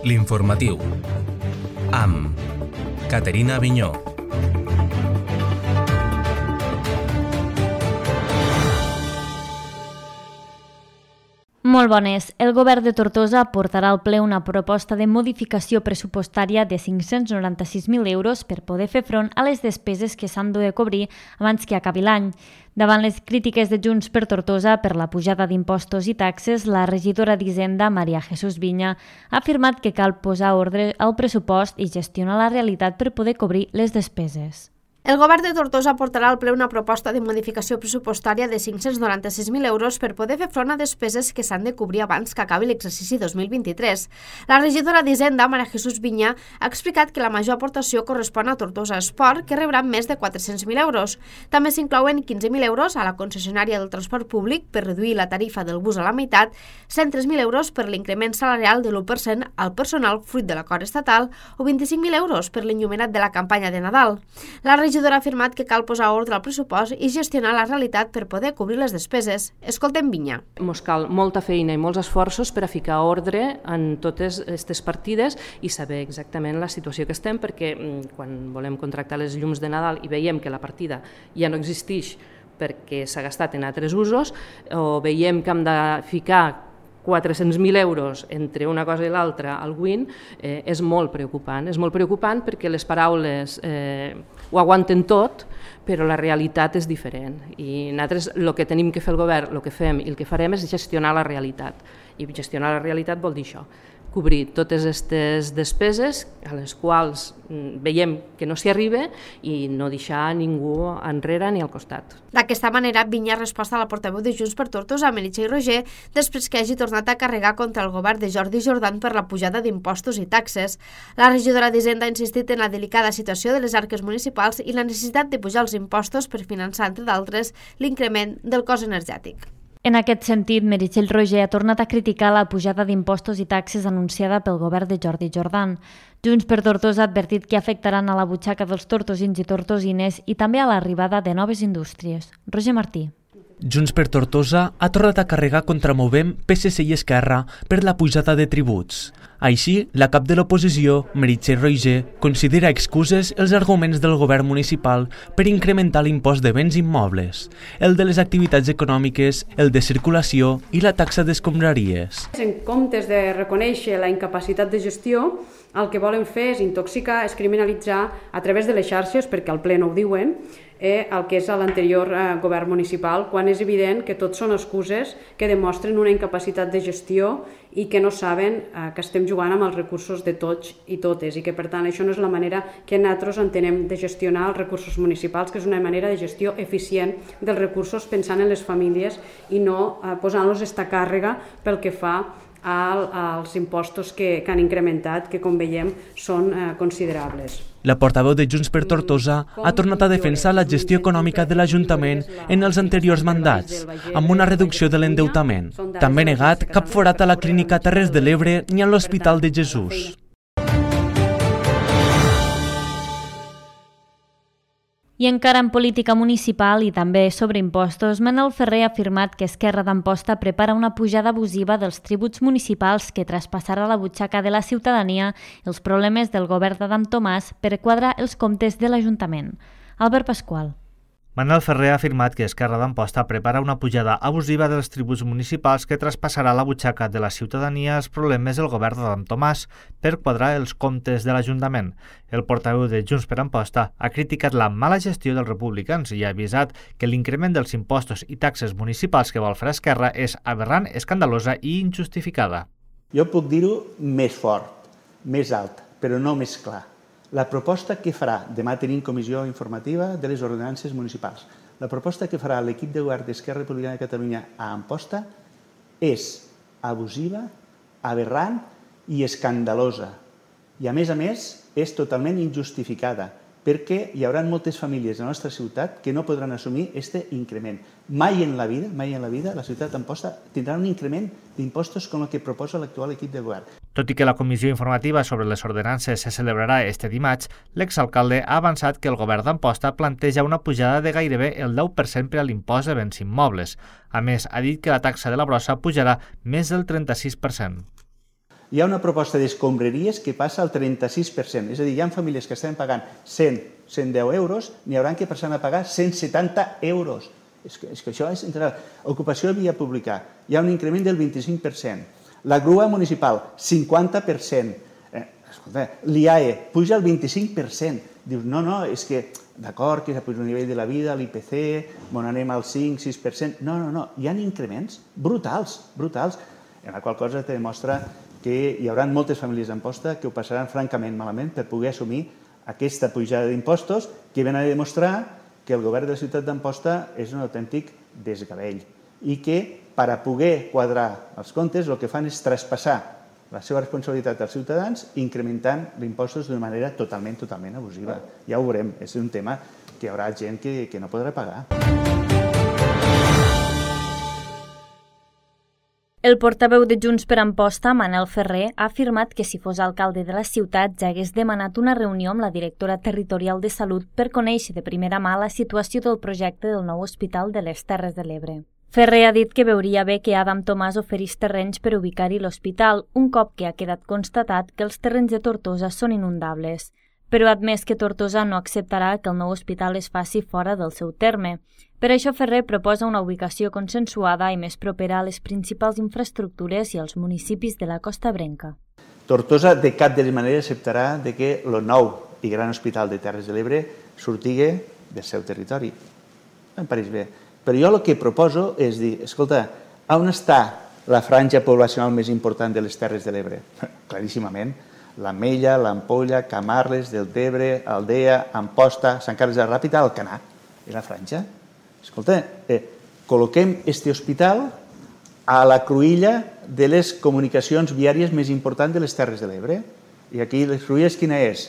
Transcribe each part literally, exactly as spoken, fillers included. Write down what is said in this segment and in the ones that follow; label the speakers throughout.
Speaker 1: L'informatiu, amb Caterina Avinyó.
Speaker 2: Molt bones. El govern de Tortosa portarà al ple una proposta de modificació pressupostària de cinc-cents noranta-sis mil euros per poder fer front a les despeses que s'han de cobrir abans que acabi l'any. Davant les crítiques de Junts per Tortosa per la pujada d'impostos i taxes, la regidora d'Hisenda, Maria Jesús Viña, ha afirmat que cal posar ordre al pressupost i gestionar la realitat per poder cobrir les despeses.
Speaker 3: El govern de Tortosa portarà al ple una proposta de modificació pressupostària de cinc-cents noranta-sis mil euros per poder fer front a despeses que s'han de cobrir abans que acabi l'exercici dos mil vint-i-tres. La regidora d'Hisenda, Maria Jesús Viña, ha explicat que la major aportació correspon a Tortosa Esport, que rebrà més de quatre-cents mil euros. També s'inclouen quinze mil euros a la concessionària del transport públic per reduir la tarifa del bus a la meitat, cent tres mil euros per l'increment salarial de l'u per cent al personal fruit de l'acord estatal o vint-i-cinc mil euros per l'enllumenat de la campanya de Nadal. La regidora ha afirmat que cal posar ordre al pressupost i gestionar la realitat per poder cobrir les despeses. Escoltem Viña.
Speaker 4: Ens cal molta feina i molts esforços per a ficar ordre en totes aquestes partides i saber exactament la situació que estem, perquè quan volem contractar les llums de Nadal i veiem que la partida ja no existeix perquè s'ha gastat en altres usos, o veiem que hem de ficar quatre-cents mil euros entre una cosa i l'altra al W I N, eh, és molt preocupant. És molt preocupant perquè les paraules eh, ho aguanten tot, però la realitat és diferent. I nosaltres el que tenim que fer el govern, el que fem i el que farem és gestionar la realitat. I gestionar la realitat vol dir això, cobrir totes aquestes despeses a les quals veiem que no s'hi arriba i no deixar ningú enrere ni al costat.
Speaker 3: D'aquesta manera, Viña ha respost a la portaveu de Junts per Tortosa, Meritxell Roger, després que hagi tornat a carregar contra el govern de Jordi Jordan per la pujada d'impostos i taxes. La regidora d'Hisenda ha insistit en la delicada situació de les arques municipals i la necessitat de pujar els impostos per finançar, entre d'altres, l'increment del cost energètic.
Speaker 2: En aquest sentit, Meritxell Roger ha tornat a criticar la pujada d'impostos i taxes anunciada pel govern de Jordi Jordan. Junts per Tortosa ha advertit que afectaran a la butxaca dels tortosins i tortosines i també a l'arribada de noves indústries. Roger Martí.
Speaker 5: Junts per Tortosa ha tornat a carregar contra Movem, P S C i Esquerra per la pujada de tributs. Així, la cap de l'oposició, Meritxell Roger, considera excuses els arguments del govern municipal per incrementar l'impost de béns immobles, el de les activitats econòmiques, el de circulació i la taxa d'escombraries.
Speaker 6: En comptes de reconèixer la incapacitat de gestió, el que volen fer és intoxicar, és criminalitzar a través de les xarxes, perquè al ple no ho diuen, eh, el que és l'anterior eh, govern municipal, quan és evident que tot són excuses que demostren una incapacitat de gestió i que no saben eh, que estem jugant amb els recursos de tots i totes i que per tant això no és la manera que nosaltres entenem de gestionar els recursos municipals, que és una manera de gestió eficient dels recursos pensant en les famílies i no eh, posant-los esta càrrega pel que fa als impostos que, que han incrementat, que com veiem són eh, considerables.
Speaker 5: La portaveu de Junts per Tortosa ha tornat a defensar la gestió econòmica de l'Ajuntament en els anteriors mandats, amb una reducció de l'endeutament. També ha negat cap forat a la Clínica Terres de l'Ebre ni a l'Hospital de Jesús.
Speaker 2: I encara en política municipal i també sobre impostos, Manel Ferrer ha afirmat que Esquerra d'Amposta prepara una pujada abusiva dels tributs municipals que traspassarà la butxaca de la ciutadania els problemes del govern d'Adam Tomàs per quadrar els comptes de l'Ajuntament. Albert Pasqual.
Speaker 7: Manel Ferrer ha afirmat que Esquerra d'Amposta prepara una pujada abusiva dels tributs municipals que traspassarà la butxaca de la ciutadania els problemes del govern d'Adam Tomàs per quadrar els comptes de l'Ajuntament. El portaveu de Junts per Amposta ha criticat la mala gestió dels republicans i ha avisat que l'increment dels impostos i taxes municipals que vol fer Esquerra és aberrant, escandalosa i injustificada.
Speaker 8: Jo puc dir-ho més fort, més alt, però no més clar. La proposta que farà, demà tenim comissió informativa de les ordenances municipals, la proposta que farà l'equip de govern d'Esquerra Republicana de Catalunya a Amposta és abusiva, aberrant i escandalosa. I a més a més és totalment injustificada, perquè hi haurà moltes famílies de la nostra ciutat que no podran assumir aquest increment. Mai en la vida, mai en la vida, la ciutat d'Amposta tindrà un increment d'impostos com el que proposa l'actual equip de govern.
Speaker 7: Tot i que la comissió informativa sobre les ordenances se celebrarà este dimarts, l'exalcalde ha avançat que el govern d'Amposta planteja una pujada de gairebé el deu per cent per a l'impost de béns immobles. A més, ha dit que la taxa de la brossa pujarà més del trenta-sis per cent.
Speaker 8: Hi ha una proposta d'escombraries que passa al trenta-sis per cent. És a dir, hi ha famílies que estan pagant cent, cent deu euros, n'hi hauran que passar a pagar cent setanta euros. És que, és que això és increïble. Ocupació via pública, hi ha un increment del vint-i-cinc per cent. La grua municipal, cinquanta per cent. Eh, escolta, l'I A E puja el vint-i-cinc per cent. Dius, no, no, és que, d'acord, que puja el nivell de la vida, l'I P C, on anem al cinc sis per cent. No, no, no, hi ha increments brutals, brutals, en la qual cosa te demostra que hi haurà moltes famílies d'Amposta que ho passaran francament malament per poder assumir aquesta pujada d'impostos que ven a demostrar que el govern de la ciutat d'Amposta és un autèntic desgavell i que per a poder quadrar els comptes el que fan és traspassar la seva responsabilitat als ciutadans incrementant els impostos d'una manera totalment, totalment abusiva. Ja ho veurem, és un tema que hi haurà gent que, que no podrà pagar.
Speaker 2: El portaveu de Junts per Amposta, Manel Ferrer, ha afirmat que si fos alcalde de la ciutat ja hagués demanat una reunió amb la directora territorial de Salut per conèixer de primera mà la situació del projecte del nou hospital de les Terres de l'Ebre. Ferrer ha dit que veuria bé que Adam Tomàs oferís terrenys per ubicar-hi l'hospital, un cop que ha quedat constatat que els terrenys de Tortosa són inundables, però ha admès que Tortosa no acceptarà que el nou hospital es faci fora del seu terme. Per això Ferrer proposa una ubicació consensuada i més propera a les principals infraestructures i als municipis de la Costa Brenca.
Speaker 8: Tortosa de cap de les maneres acceptarà de que el nou i gran hospital de Terres de l'Ebre sortigui del seu territori. Em pareix bé. Però jo el que proposo és dir, escolta, on està la franja poblacional més important de les Terres de l'Ebre? Claríssimament, l'Ametlla, l'Ampolla, Camarles, Deltebre, Aldea, Amposta, Sant Carles de la Ràpita, Alcanar. És la franja. Escolta, eh, col·loquem este hospital a la cruïlla de les comunicacions viàries més importants de les Terres de l'Ebre. I aquí les cruïlles quina és?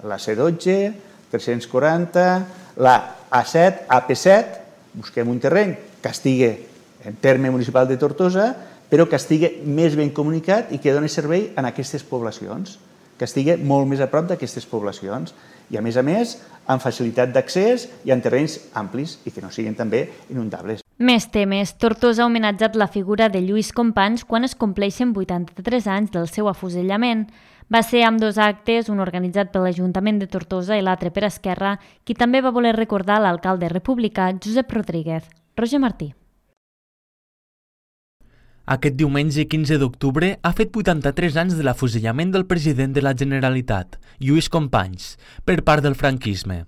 Speaker 8: La C dotze, tres-cents quaranta, la A set, A P set, busquem un terreny que estigui en terme municipal de Tortosa, però que estigui més ben comunicat i que doni servei a aquestes poblacions, que estigui molt més a prop d'aquestes poblacions i, a més a més, amb facilitat d'accés i en terrenys amplis i que no siguin també inundables.
Speaker 2: Més temes. Tortosa ha homenatjat la figura de Lluís Companys quan es compleixen vuitanta-tres anys del seu afusellament. Va ser amb dos actes, un organitzat per l'Ajuntament de Tortosa i l'altre per Esquerra, qui també va voler recordar l'alcalde republicà Josep Rodríguez. Roger Martí.
Speaker 5: Aquest diumenge quinze d'octubre ha fet vuitanta-tres anys de l'afusellament del president de la Generalitat, Lluís Companys, per part del franquisme.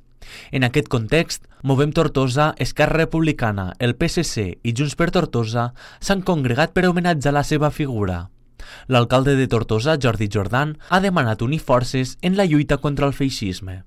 Speaker 5: En aquest context, Movem Tortosa, Esquerra Republicana, el P S C i Junts per Tortosa s'han congregat per homenatjar la seva figura. L'alcalde de Tortosa, Jordi Jordan, ha demanat unir forces en la lluita contra el feixisme.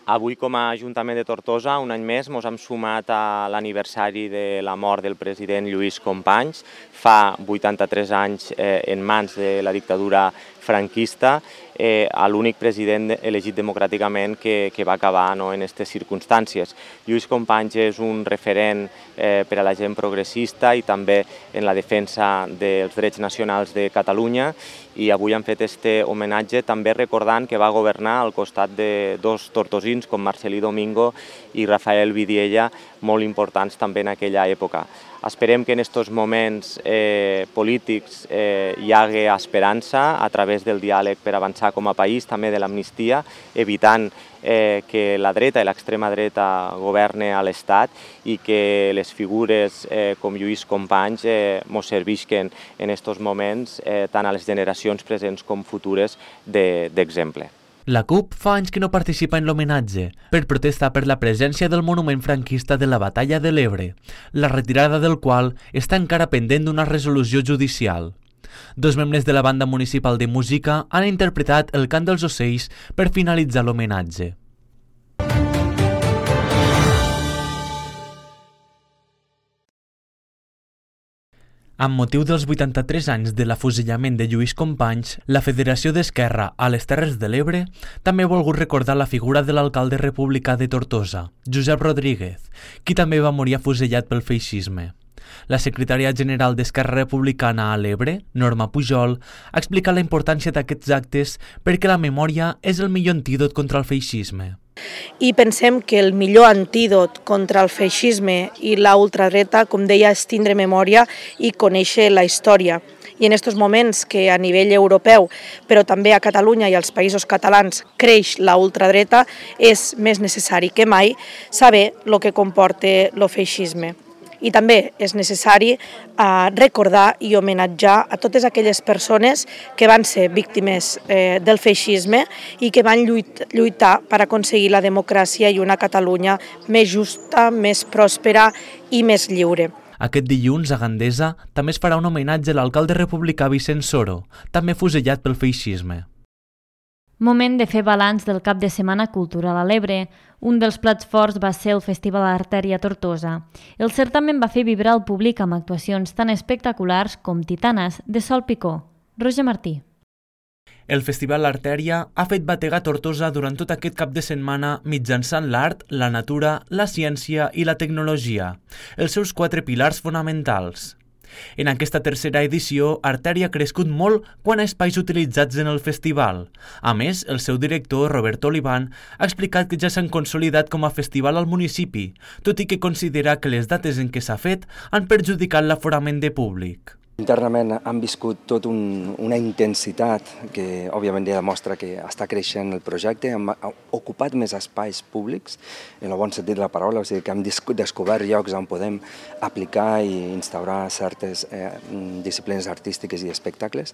Speaker 9: Avui, com a Ajuntament de Tortosa, un any més ens hem sumat a l'aniversari de la mort del president Lluís Companys. Fa vuitanta-tres anys eh, en mans de la dictadura franquista, eh, a l'únic president elegit democràticament que, que va acabar no, en aquestes circumstàncies. Lluís Companys és un referent eh, per a la gent progressista i també en la defensa dels drets nacionals de Catalunya, i avui han fet este homenatge també recordant que va governar al costat de dos tortosins com Marcelí Domingo i Rafael Vidiella, molt importants també en aquella època. Esperem que en aquests moments eh, polítics eh, hi hagi esperança a través del diàleg per avançar com a país, també de l'amnistia, evitant eh, que la dreta i l'extrema dreta governe a l'Estat i que les figures eh, com Lluís Companys eh, mos servisquen en aquests moments eh, tant a les generacions presents com futures d'exemple. De,
Speaker 5: La CUP fa anys que no participa en l'homenatge per protestar per la presència del monument franquista de la Batalla de l'Ebre, la retirada del qual està encara pendent d'una resolució judicial. Dos membres de la banda municipal de música han interpretat el cant dels ocells per finalitzar l'homenatge. Amb motiu dels vuitanta-tres anys de l'afusellament de Lluís Companys, la Federació d'Esquerra a les Terres de l'Ebre també ha volgut recordar la figura de l'alcalde republicà de Tortosa, Josep Rodríguez, qui també va morir afusellat pel feixisme. La secretària general d'Esquerra Republicana a l'Ebre, Norma Pujol, ha explicat la importància d'aquests actes perquè la memòria és el millor antídot contra el feixisme.
Speaker 10: I pensem que el millor antídot contra el feixisme i la ultradreta, com deia, és tindre memòria i conèixer la història. I en aquests moments que a nivell europeu, però també a Catalunya i als països catalans, creix la ultradreta, és més necessari que mai saber el que comporta el feixisme. I també és necessari eh, recordar i homenatjar a totes aquelles persones que van ser víctimes eh, del feixisme i que van lluit, lluitar per aconseguir la democràcia i una Catalunya més justa, més pròspera i més lliure.
Speaker 5: Aquest dilluns, a Gandesa, també es farà un homenatge a l'alcalde republicà Vicent Soro, també fusellat pel feixisme.
Speaker 2: Moment de fer balanç del cap de setmana cultural a l'Ebre. Un dels plats forts va ser el Festival Artèria Tortosa. El certamen va fer vibrar el públic amb actuacions tan espectaculars com Titanes, de Sol Picó. Roger Martí.
Speaker 5: El Festival Artèria ha fet bategar Tortosa durant tot aquest cap de setmana mitjançant l'art, la natura, la ciència i la tecnologia, els seus quatre pilars fonamentals. En aquesta tercera edició, Artèria ha crescut molt quant a espais utilitzats en el festival. A més, el seu director, Roberto Olivan, ha explicat que ja s'han consolidat com a festival al municipi, tot i que considera que les dates en què s'ha fet han perjudicat l'aforament de públic.
Speaker 11: Internament han viscut tota un, una intensitat que òbviament ja demostra que està creixent el projecte, hem ocupat més espais públics, en el bon sentit de la paraula, o sigui que hem descobert llocs on podem aplicar i instaurar certes eh, disciplines artístiques i espectacles.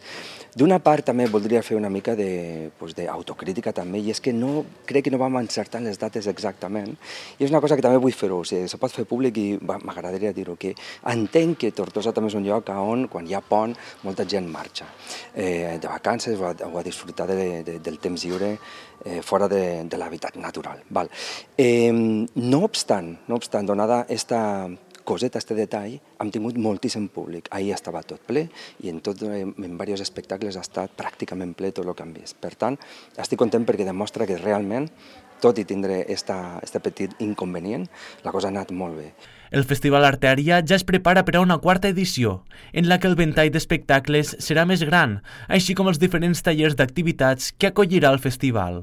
Speaker 11: D'una part també voldria fer una mica d'autocrítica també, i és que no, crec que no vam encertar les dates exactament, i és una cosa que també vull fer-ho, o sigui, se pot fer públic i m'agradaria dir-ho, que entenc que Tortosa també és un lloc on quan hi ha pont, molta gent marxa eh, de vacances o a, o a disfrutar de, de, del temps lliure eh, fora de, de l'hàbitat natural. Val. Eh, no obstant, no obstant, donada esta coseta, este detall, hem tingut moltíssim públic. Ahir estava tot ple i en, tot, en diversos espectacles ha estat pràcticament ple tot el que hem vist. Per tant, estic content perquè demostra que realment, tot i tindre aquest petit inconvenient, la cosa ha anat molt bé.
Speaker 5: El Festival Artèria ja es prepara per a una quarta edició, en la que el ventall d'espectacles serà més gran, així com els diferents tallers d'activitats que acollirà el festival.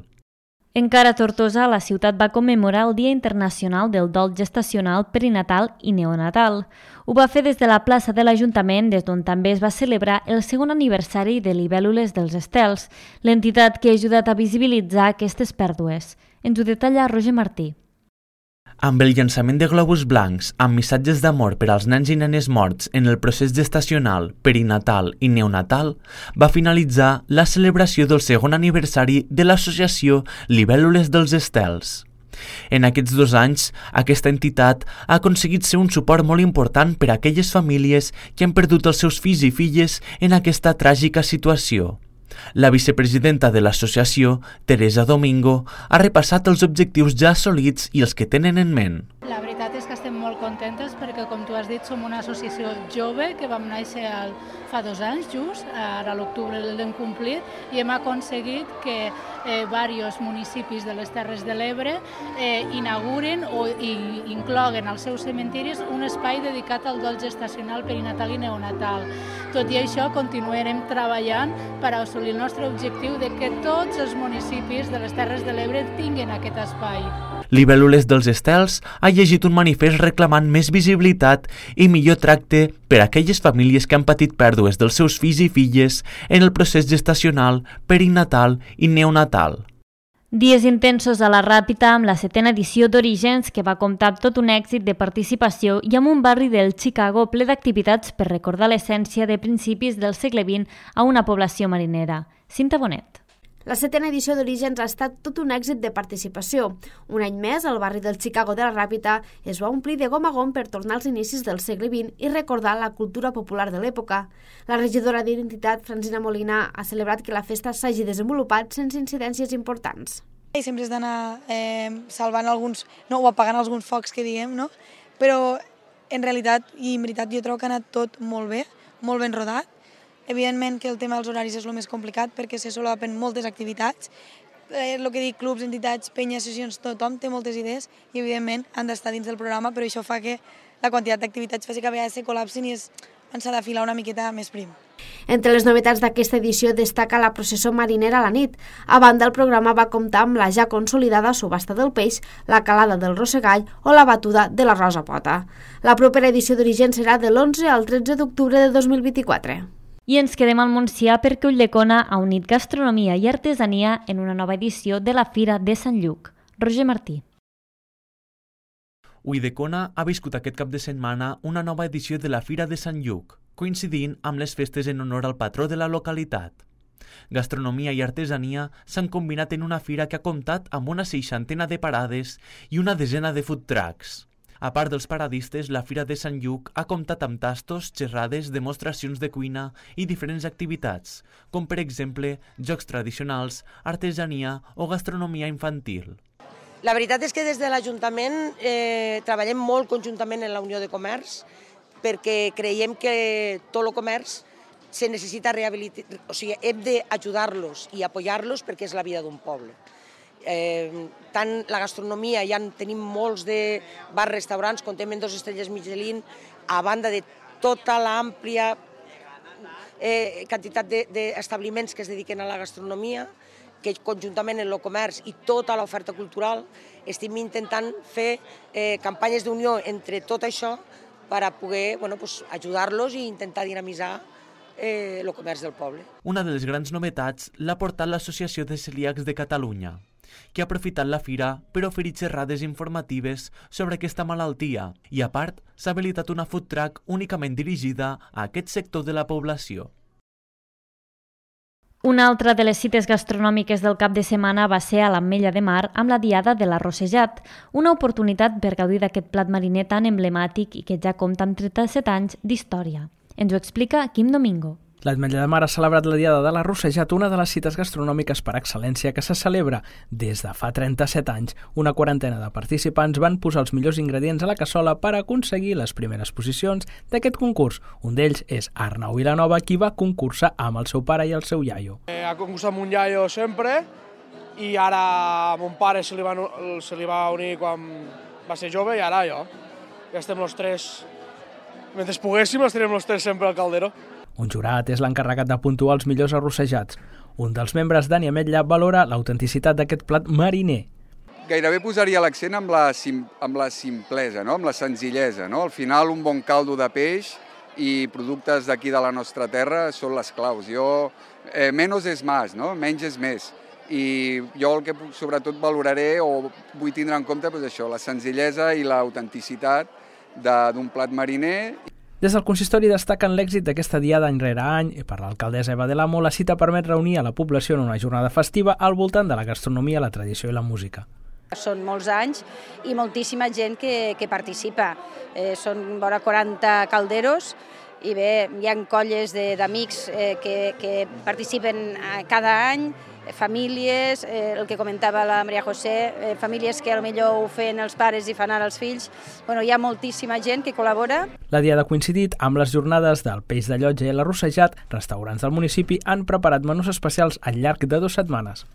Speaker 2: Encara a Tortosa, la ciutat va commemorar el Dia Internacional del Dol Gestacional, Perinatal i Neonatal. Ho va fer des de la plaça de l'Ajuntament, des d'on també es va celebrar el segon aniversari de Libèl·lules dels Estels, l'entitat que ha ajudat a visibilitzar aquestes pèrdues. Ens ho detalla Roger Martí.
Speaker 5: Amb el llançament de globus blancs amb missatges d'amor per als nens i nenes morts en el procés gestacional, perinatal i neonatal, va finalitzar la celebració del segon aniversari de l'associació Libèl·lules dels Estels. En aquests dos anys, aquesta entitat ha aconseguit ser un suport molt important per a aquelles famílies que han perdut els seus fills i filles en aquesta tràgica situació. La vicepresidenta de l'associació, Teresa Domingo, ha repassat els objectius ja assolits i els que tenen en ment.
Speaker 12: La veritat és que estem molt contentes perquè, com tu has dit, som una associació jove que vam néixer al, fa dos anys just, ara a l'octubre l'hem complit, i hem aconseguit que eh, diversos municipis de les Terres de l'Ebre eh, inauguren o i, incloguen als seus cementiris un espai dedicat al dol gestacional, perinatal i neonatal. Tot i això, continuarem treballant per assolir el nostre objectiu de que tots els municipis de les Terres de l'Ebre tinguin aquest espai.
Speaker 5: Libèl·lules dels Estels ha llegit un manifest reclamant més visibilitat i millor tracte per a aquelles famílies que han patit pèrdues dels seus fills i filles en el procés gestacional, perinatal i neonatal.
Speaker 2: Dies intensos a la Ràpita amb la setena edició d'Orígens, que va comptar amb tot un èxit de participació i amb un barri del Chicago ple d'activitats per recordar l'essència de principis del segle vint a una població marinera. Cinta Bonet.
Speaker 3: La setena edició d'Orígens ha estat tot un èxit de participació. Un any més, el barri del Chicago de la Ràpita es va omplir de gom a gom per tornar als inicis del segle vint i recordar la cultura popular de l'època. La regidora d'Identitat, Francina Molina, ha celebrat que la festa s'hagi desenvolupat sense incidències importants.
Speaker 13: I sempre has d'anar eh, salvant alguns, no, o apagant alguns focs que diem, no? Però en realitat, i en veritat, jo trobo que ha anat tot molt bé, molt ben rodat. Evidentment que el tema dels horaris és el més complicat perquè se solapen moltes activitats. Eh, el que dic, clubs, entitats, penyes, sessions, tothom té moltes idees i evidentment han d'estar dins del programa, però això fa que la quantitat d'activitats fes que a vegades se col·lapsin i s'ha de filar una miqueta més prim.
Speaker 3: Entre les novetats d'aquesta edició destaca la processó marinera a la nit. A banda, el programa va comptar amb la ja consolidada subhasta del peix, la calada del rossegall o la batuda de la rosa pota. La propera edició d'Origen serà de l'onze al tretze d'octubre de dos mil vint-i-quatre.
Speaker 2: I ens quedem al Montsià perquè Ulldecona ha unit gastronomia i artesania en una nova edició de la Fira de Sant Lluc. Roger Martí.
Speaker 5: Ulldecona ha viscut aquest cap de setmana una nova edició de la Fira de Sant Lluc, coincidint amb les festes en honor al patró de la localitat. Gastronomia i artesania s'han combinat en una fira que ha comptat amb una seixantena de parades i una desena de food trucks. A part dels paradistes, la Fira de Sant Lluc ha comptat amb tastos, xerrades, demostracions de cuina i diferents activitats, com per exemple jocs tradicionals, artesania o gastronomia infantil.
Speaker 14: La veritat és que des de l'Ajuntament eh, treballem molt conjuntament en la Unió de Comerç perquè creiem que tot el comerç se necessita rehabilitar, o sigui, hem d'ajudar-los i apoyar-los perquè és la vida d'un poble. Eh, tant la gastronomia, ja tenim molts de bars, restaurants, contem en dos estrelles Michelin, a banda de tota l'àmplia eh, quantitat d'establiments que es dediquen a la gastronomia, que conjuntament en el comerç i tota l'oferta cultural estem intentant fer eh, campanyes d'unió entre tot això per a poder bueno, pues, ajudar-los i intentar dinamitzar eh, el comerç del poble.
Speaker 5: Una de les grans novetats l'ha portat l'Associació de Celíacs de Catalunya, que ha aprofitat la fira per oferir xerrades informatives sobre aquesta malaltia i, a part, s'ha habilitat una food truck únicament dirigida a aquest sector de la població.
Speaker 2: Una altra de les cites gastronòmiques del cap de setmana va ser a l'Ametlla de Mar amb la Diada de l'Arrossejat, una oportunitat per gaudir d'aquest plat mariner tan emblemàtic i que ja compta amb trenta-set anys d'història. Ens ho explica Quim Domingo.
Speaker 15: L'Ametlla de Mar ha celebrat la Diada de l'Arrossejat, una de les cites gastronòmiques per excel·lència que se celebra des de fa trenta-set anys. Una quarantena de participants van posar els millors ingredients a la cassola per aconseguir les primeres posicions d'aquest concurs. Un d'ells és Arnau Vilanova, qui va concursar amb el seu pare i el seu iaio.
Speaker 16: Eh, ha concursat amb un iaio sempre i ara a mon pare se li, va, se li va unir quan va ser jove i ara jo. Ja estem els tres, mentre poguéssim, estarem els tres sempre al caldero.
Speaker 15: Un jurat és l'encarregat de puntuar els millors arrossejats. Un dels membres, Dani Ametlla, valora l'autenticitat d'aquest plat mariner.
Speaker 17: Gairebé posaria l'accent amb, la sim, amb la simplesa, no? Amb la senzillesa. No? Al final, un bon caldo de peix i productes d'aquí de la nostra terra són les claus. Jo, eh, menos és más, no? Menys és més. I jo el que sobretot valoraré o vull tindre en compte doncs això, la senzillesa i l'autenticitat d'un plat mariner.
Speaker 15: Des del consistori destaquen l'èxit d'aquesta diada any rere any i per l'alcaldessa Eva de l'Amo la cita permet reunir a la població en una jornada festiva al voltant de la gastronomia, la tradició i la música.
Speaker 18: Són molts anys i moltíssima gent que, que participa. Eh, són vora quaranta calderos i bé, hi ha colles d'amics eh, que, que participen cada any, famílies, eh, el que comentava la Maria José, eh, famílies que potser ho feien els pares i fan ara els fills. Bueno, hi ha moltíssima gent que col·labora.
Speaker 15: La diada ha coincidit amb les jornades del peix de llotja i l'arrossejat. Restaurants del municipi han preparat menús especials al llarg de dues setmanes.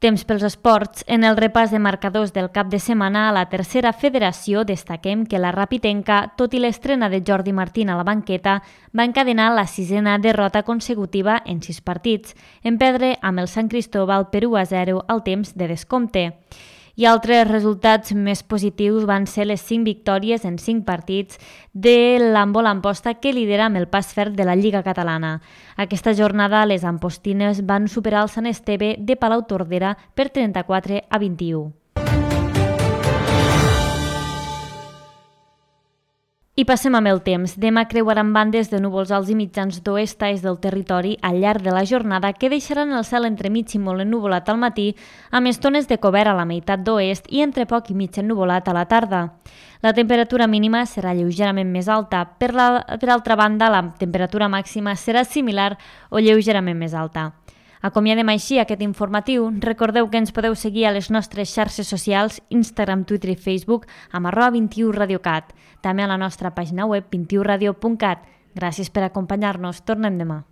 Speaker 2: Temps pels esports. En el repàs de marcadors del cap de setmana a la tercera federació destaquem que la Rapitenca, tot i l'estrena de Jordi Martín a la banqueta, va encadenar la sisena derrota consecutiva en sis partits, en perdre amb el Sant Cristóbal per u a zero al temps de descompte. I altres resultats més positius van ser les cinc victòries en cinc partits de l'Handbol Amposta, que lidera amb el pas ferm de la Lliga Catalana. Aquesta jornada les ampostines van superar el Sant Esteve de Palau-Tordera per trenta-quatre a vint-i-u. I passem amb el temps. Demà creuaran bandes de núvols alts i mitjans d'oest-est del territori al llarg de la jornada que deixaran el cel entremig i molt ennuvolat al matí, amb estones de cobert a la meitat d'oest i entre poc i mig ennuvolat a la tarda. La temperatura mínima serà lleugerament més alta. Per, la, per altra banda, la temperatura màxima serà similar o lleugerament més alta. Acomiadem així aquest informatiu. Recordeu que ens podeu seguir a les nostres xarxes socials, Instagram, Twitter i Facebook, amb arroba vint-i-u radiocat. També a la nostra pàgina web vint i u radio punt cat. Gràcies per acompanyar-nos. Tornem demà.